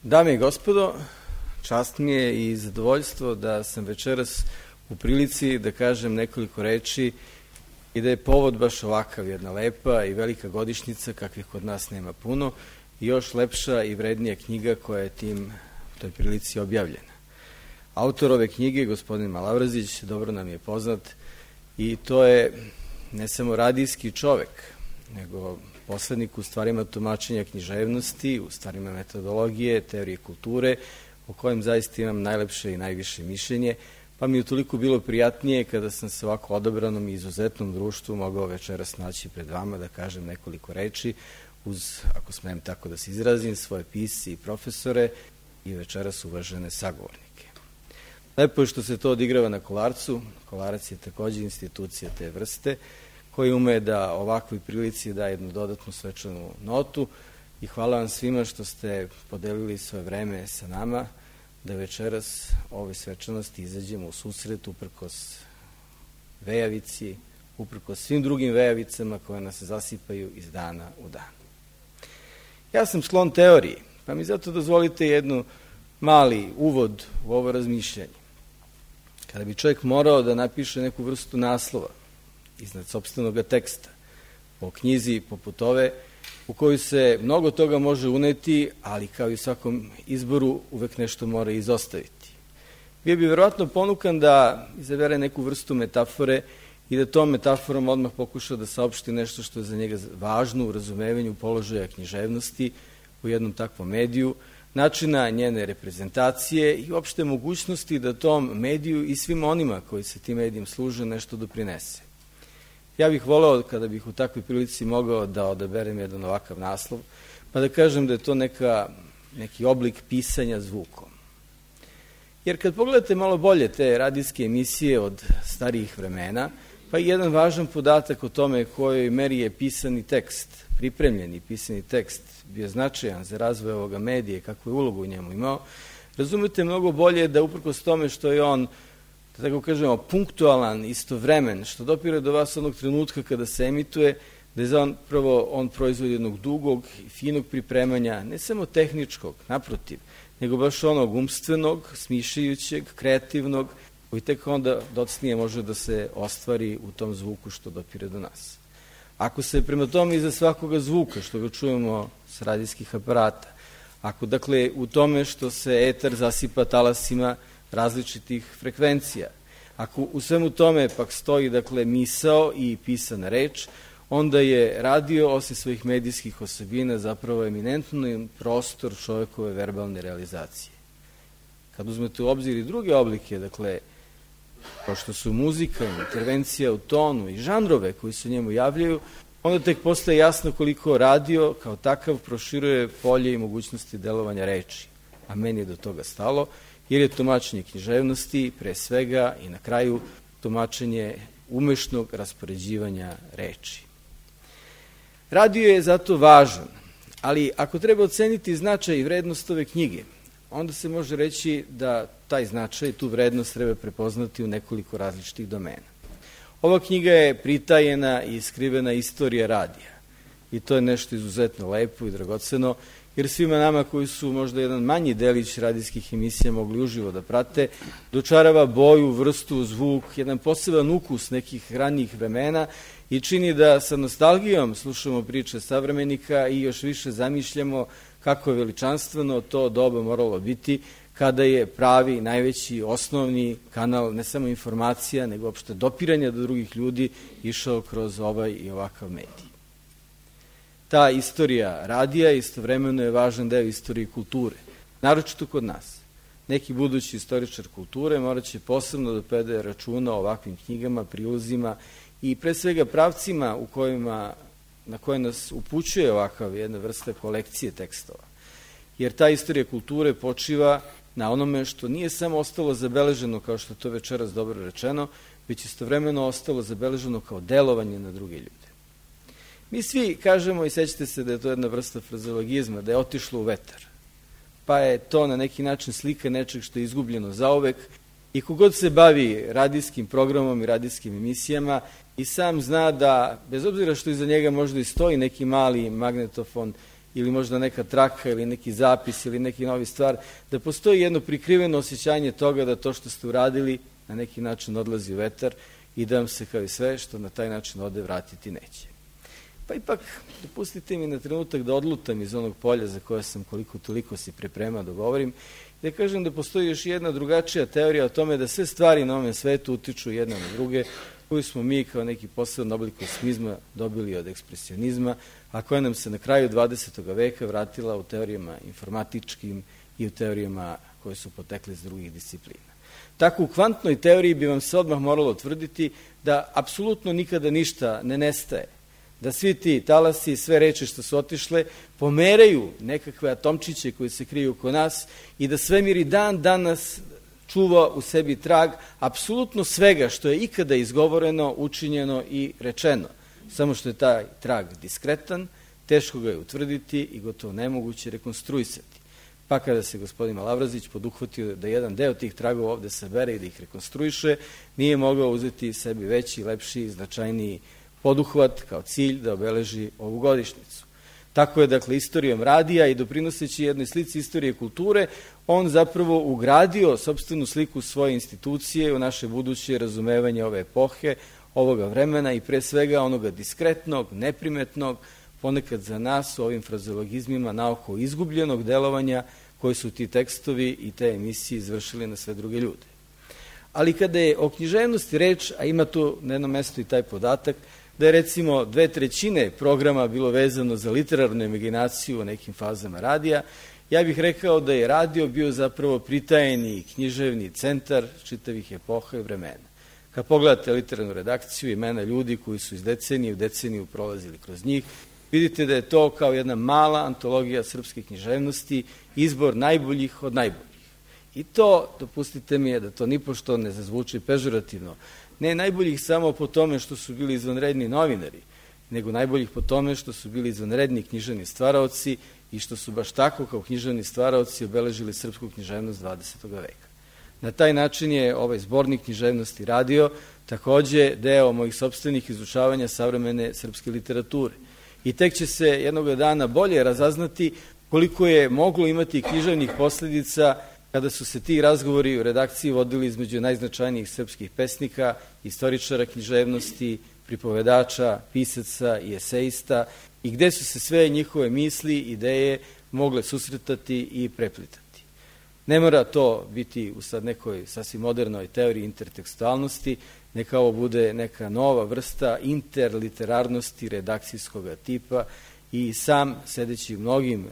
Dame i gospodo, čast mi je i zadovoljstvo da sam večeras u prilici da kažem nekoliko reči i da je povod baš ovakav, jedna lepa i velika godišnjica, kakvih kod nas nema puno, i još lepša i vrednija knjiga koja je u toj prilici objavljena. Autor ove knjige, gospodin Malavrzić, dobro nam je poznat i to je ne samo radijski čovek, nego poslednik u stvarima tumačenja književnosti, u stvarima metodologije, teorije kulture, o kojem zaista imam najlepše i najviše mišljenje, pa mi je toliko bilo prijatnije kada sam se ovako odabranom i izuzetnom društvu mogao večeras naći pred vama da kažem nekoliko reči uz, ako smem tako da se izrazim, svoje pisci i profesore i večeras uvažene sagovornike. Lepo je što se to odigrava na Kolarcu. Kolarac je takođe institucija te vrste, koji ume da ovakvoj prilici da jednu dodatnu svečanu notu i hvala vam svima što ste podelili svoje vreme sa nama, da večeras ovoj svečanosti izađemo u susret uprkos vejavici, uprkos svim drugim vejavicama koje nas zasipaju iz dana u dan. Ja sam sklon teoriji, pa mi zato dozvolite jednu mali uvod u ovo razmišljanje. Kada bi čovjek morao da napiše neku vrstu naslova iznad sopstvenog teksta o knjizi poput ove, u kojoj se mnogo toga može uneti, ali kao i u svakom izboru uvek nešto mora izostaviti. Bio bi verovatno ponukan da izabere neku vrstu metafore i da tom metaforom odmah pokuša da saopšti nešto što je za njega važno u razumevanju položaja književnosti u jednom takvom mediju, načina njene reprezentacije i uopšte mogućnosti da tom mediju i svim onima koji se tim medijem služe nešto doprinese. Ja bih voleo, kada bih u takvoj prilici mogao da odaberem jedan ovakav naslov, pa da kažem da je to neki oblik pisanja zvukom. Jer kad pogledate malo bolje te radijske emisije od starijih vremena, pa i jedan važan podatak o tome kojoj meri je pisani tekst, pripremljeni pisani tekst, bio značajan za razvoj ovoga medija, kakvu je ulogu u njemu imao, razumete mnogo bolje da uprkos tome što je on, da tako kažemo, punktualan, istovremen, što dopire do vas onog trenutka kada se emituje, da je zapravo on proizvod jednog dugog i finog pripremanja, ne samo tehničkog, naprotiv, nego baš onog umstvenog, smišljajućeg, kreativnog, koji tek onda docnije može da se ostvari u tom zvuku što dopire do nas. Ako se prema tome iza svakoga zvuka, što ga čujemo s radijskih aparata, ako dakle u tome što se etar zasipa talasima različitih frekvencija, ako u svemu tome pak stoji dakle misao i pisana reč, onda je radio, osim svojih medijskih osobina, zapravo eminentno prostor čovekove verbalne realizacije. Kad uzmete u obzir i druge oblike, dakle, kao što su muzika, intervencija u tonu i žanrove koji se njemu javljaju, onda tek postaje jasno koliko radio kao takav proširuje polje i mogućnosti delovanja reči. A meni je do toga stalo, jer je tumačenje književnosti pre svega i na kraju tumačenje umešnog raspoređivanja reči. Radio je zato važan, ali ako treba oceniti značaj i vrednost ove knjige, onda se može reći da taj značaj, tu vrednost treba prepoznati u nekoliko različitih domena. Ova knjiga je pritajena i skrivena istorija radija i to je nešto izuzetno lepo i dragoceno, jer svima nama koji su možda jedan manji delić radijskih emisija mogli uživo da prate, dočarava boju, vrstu, zvuk, jedan poseban ukus nekih ranijih vremena i čini da sa nostalgijom slušamo priče savremenika i još više zamišljamo kako je veličanstveno to doba moralo biti kada je pravi, najveći, osnovni kanal ne samo informacija, nego uopšte dopiranja do drugih ljudi išao kroz ovaj i ovakav medij. Ta istorija radija istovremeno je važan deo istorije kulture, naročito kod nas. Neki budući istoričar kulture morat će posebno da predaje računa o ovakvim knjigama, prilozima i pre svega pravcima na koje nas upućuje ovakav jedna vrsta kolekcije tekstova. Jer ta istorija kulture počiva na onome što nije samo ostalo zabeleženo, kao što je to večeras dobro rečeno, već istovremeno ostalo zabeleženo kao delovanje na druge ljude. Mi svi kažemo, i sećate se da je to jedna vrsta frazeologizma, da je otišlo u vetar, pa je to na neki način slika nečeg što je izgubljeno zauvek i kogod se bavi radijskim programom i radijskim emisijama i sam zna da, bez obzira što iza njega možda i stoji neki mali magnetofon ili možda neka traka ili neki zapis ili neki novi stvar, da postoji jedno prikriveno osjećanje toga da to što ste uradili na neki način odlazi u vetar i da vam se kao i sve što na taj način ode vratiti neće. Pa ipak, dopustite mi na trenutak da odlutam iz onog polja za koje sam koliko toliko si pripremao da govorim, da kažem da postoji još jedna drugačija teorija o tome da sve stvari na ovom svetu utiču jedna na druge, koju smo mi kao neki poseban oblik kosmizma dobili od ekspresionizma, a koja nam se na kraju 20. veka vratila u teorijama informatičkim i u teorijama koje su potekle iz drugih disciplina. Tako u kvantnoj teoriji bi vam se odmah moralo tvrditi da apsolutno nikada ništa ne nestaje, da svi ti talasi i sve reči što su otišle pomeraju nekakve atomčiće koji se kriju oko nas i da svemir i dan danas čuva u sebi trag apsolutno svega što je ikada izgovoreno, učinjeno i rečeno. Samo što je taj trag diskretan, teško ga je utvrditi i gotovo nemoguće rekonstruisati. Pa kada se gospodin Malavrazić poduhvatio da jedan deo tih tragova ovde sabere i da ih rekonstruiše, nije mogao uzeti sebi veći, lepši, značajniji poduhvat kao cilj da obeleži ovu godišnjicu. Tako je, dakle, istorijom radija i doprinoseći jednoj slici istorije kulture, on zapravo ugradio sopstvenu sliku svoje institucije u naše buduće razumevanje ove epohe, ovoga vremena i pre svega onoga diskretnog, neprimetnog, ponekad za nas u ovim frazeologizmima naoko izgubljenog delovanja koji su ti tekstovi i te emisije izvršili na sve druge ljude. Ali kada je o književnosti reč, a ima tu na jednom mestu i taj podatak, da je recimo 2/3 programa bilo vezano za literarnu imaginaciju u nekim fazama radija, ja bih rekao da je radio bio zapravo pritajeni književni centar čitavih epoha i vremena. Kad pogledate literarnu redakciju, imena ljudi koji su iz decenije u deceniju prolazili kroz njih, vidite da je to kao jedna mala antologija srpske književnosti, izbor najboljih od najboljih. I to, dopustite mi, da to nipošto ne zazvuči pežorativno, ne najboljih samo po tome što su bili izvanredni novinari, nego najboljih po tome što su bili izvanredni književni stvaraoci i što su baš tako kao književni stvaraoci obeležili srpsku književnost 20. veka. Na taj način je ovaj zbornik književnosti radio takođe deo mojih sopstvenih izučavanja savremene srpske literature. I tek će se jednog dana bolje razaznati koliko je moglo imati književnih posledica kada su se ti razgovori u redakciji vodili između najznačajnijih srpskih pesnika, istoričara književnosti, pripovedača, pisaca i esejista i gde su se sve njihove misli, ideje mogle susretati i preplitati. Ne mora to biti u sad nekoj sasvim modernoj teoriji intertekstualnosti, neka ovo bude neka nova vrsta interliterarnosti redakcijskog tipa i sam, sedeći u mnogim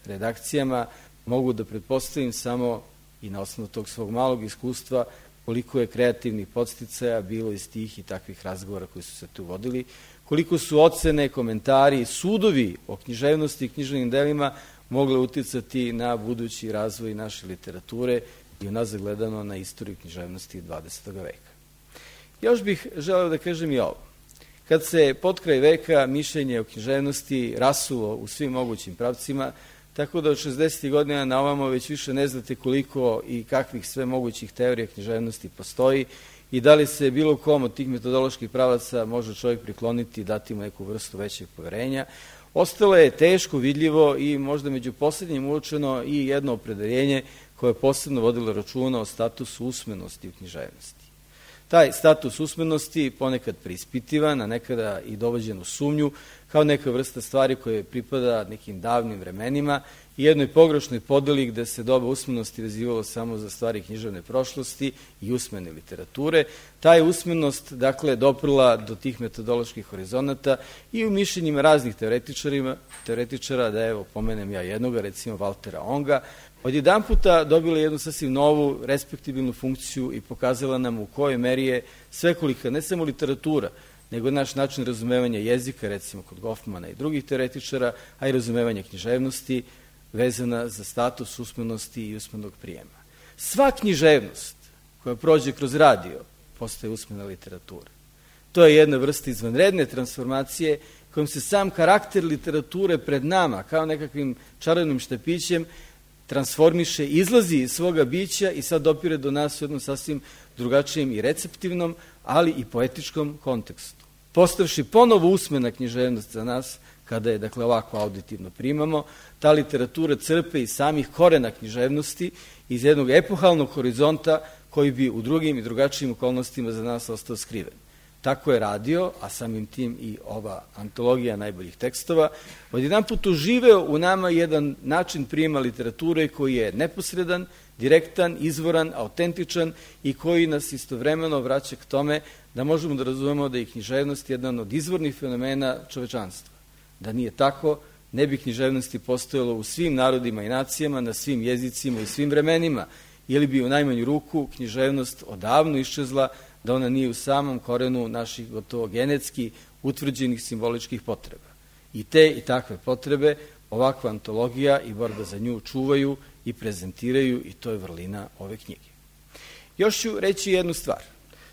redakcijama, mogu da pretpostavim samo i na osnovu tog svog malog iskustva koliko je kreativnih podsticaja bilo iz tih i takvih razgovora koji su se tu vodili, koliko su ocene, komentari, sudovi o književnosti i književnim delima mogle uticati na budući razvoj naše literature i unazad gledano na istoriju književnosti 20. veka. Još bih želeo da kažem i ovo. Kad se potkraj veka mišljenje o književnosti rasulo u svim mogućim pravcima, tako da od 60. godina na ovamo već više ne znate koliko i kakvih sve mogućih teorija književnosti postoji i da li se bilo kom od tih metodoloških pravaca može čovjek prikloniti i dati mu neku vrstu većeg poverenja. Ostalo je teško vidljivo i možda među poslednjim uočeno i jedno opredeljenje koje je posebno vodilo računa o statusu usmenosti u književnosti. Taj status usmenosti ponekad preispitivan, a nekada i dovođen u sumnju, kao neka vrsta stvari koje pripada nekim davnim vremenima i jednoj pogrešnoj podeli gde se doba usmenosti vezivalo samo za stvari književne prošlosti i usmene literature. Ta je usmenost, dakle, doprla do tih metodoloških horizonata i u mišljenjima raznih teoretičara, da evo pomenem ja jednoga, recimo Valtera Onga, odjedan puta dobila jednu sasvim novu, respektibilnu funkciju i pokazala nam u kojoj meri je svekolika, ne samo literatura, nego naš način razumevanja jezika, recimo kod Goffmana i drugih teoretičara, a i razumevanja književnosti, vezana za status usmenosti i usmenog prijema. Sva književnost koja prođe kroz radio postaje usmena literatura. To je jedna vrsta izvanredne transformacije kojom se sam karakter literature pred nama, kao nekakvim čarovnim štapićem, transformiše, izlazi iz svoga bića i sad dopire do nas u jednom sasvim drugačijem i receptivnom, ali i poetičkom kontekstu. Postavši ponovo usmena književnost za nas kada je, dakle, ovako auditivno primamo. Ta literatura crpe iz samih korena književnosti, iz jednog epohalnog horizonta koji bi u drugim i drugačijim okolnostima za nas ostao skriven. Tako je radio, a samim tim i ova antologija najboljih tekstova, odjedan put uživeo u nama jedan način prijema literature koji je neposredan, direktan, izvoran, autentičan i koji nas istovremeno vraća k tome da možemo da razumemo da je književnost jedan od izvornih fenomena čovečanstva. Da nije tako, ne bi književnosti postojalo u svim narodima i nacijama, na svim jezicima i svim vremenima, ili bi u najmanju ruku književnost odavno iščezla da ona nije u samom korenu naših gotovo genetski utvrđenih simboličkih potreba. I te i takve potrebe ovakva antologija i borba za nju čuvaju i prezentiraju i to je vrlina ove knjige. Još ću reći jednu stvar.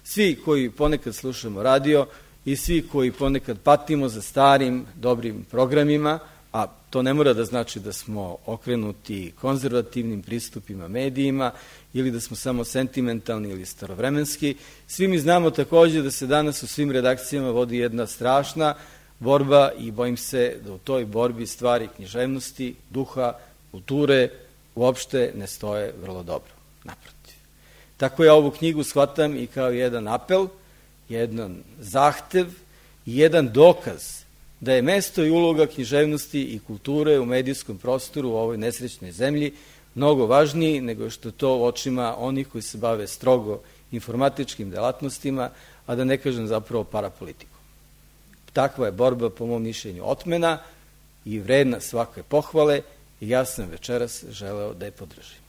Svi koji ponekad slušamo radio i svi koji ponekad patimo za starim, dobrim programima, a to ne mora da znači da smo okrenuti konzervativnim pristupima medijima ili da smo samo sentimentalni ili starovremenski, svi mi znamo takođe da se danas u svim redakcijama vodi jedna strašna borba i bojim se da u toj borbi stvari književnosti, duha, kulture uopšte ne stoje vrlo dobro. Naprotiv. Tako ja ovu knjigu shvatam i kao jedan apel, jedan zahtev i jedan dokaz da je mesto i uloga književnosti i kulture u medijskom prostoru u ovoj nesrećnoj zemlji mnogo važniji nego što to u očima onih koji se bave strogo informatičkim delatnostima, a da ne kažem zapravo parapolitikom. Takva je borba, po mom mišljenju, otmena i vredna svake pohvale i ja sam večeras želeo da je podržim.